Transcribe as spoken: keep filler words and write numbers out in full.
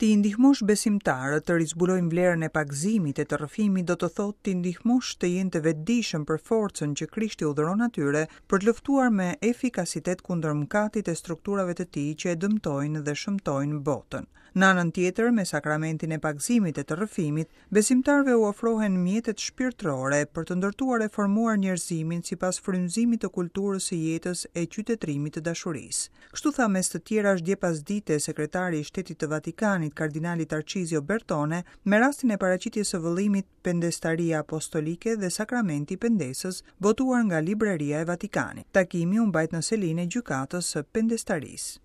T'i ndihmosh besimtarët të rizbulojnë vlerën e pagëzimit e të rrëfimit do të thotë t'i ndihmosh të jenë të vetëdijshëm për forcën që Krishti u dhuron atyre për të luftuar me efikasitet kundër mëkatit e strukturave të tij që e dëmtojnë dhe shëmtojnë botën. Në anën tjetër, me sakramentin e pagëzimit e të rrëfimit, besimtarëve u ofrohen mjetet shpirtërore për të ndërtuar e formuar njerëzimin sipas frymëzimit të kulturës së jetës e qytetërimit të dashurisë. Kështu tha mes të tjerash dje pasdite sekretari i Shtetit të Vatikanit, kardinali Tarcizio Bertone, me rastin e paraqitjes së vëllimit Pendestaria Apostolike dhe Sakramenti i Pendesës, botuar nga Libraria e Vatikanit. Takimi u mbajt në selinë e gjykatës së Pendestarisë.